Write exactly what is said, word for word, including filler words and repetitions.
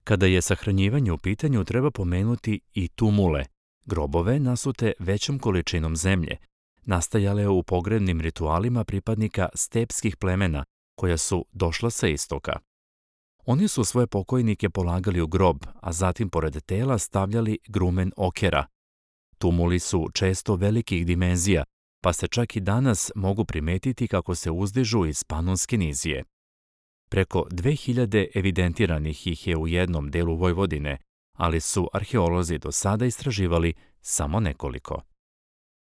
Kada je sahranjivanje u pitanju, treba pomenuti i tumule, grobove nasute većom količinom zemlje, nastajale u pogrebnim ritualima pripadnika stepskih plemena koja su došla sa istoka. Oni su svoje pokojnike polagali u grob, a zatim pored tela stavljali grumen okera. Tumuli su često velikih dimenzija, pa se čak i danas mogu primetiti kako se uzdižu iz Panonske nizije. Preko dve hiljade evidentiranih ih je u jednom delu Vojvodine, ali su arheolozi do sada istraživali samo nekoliko.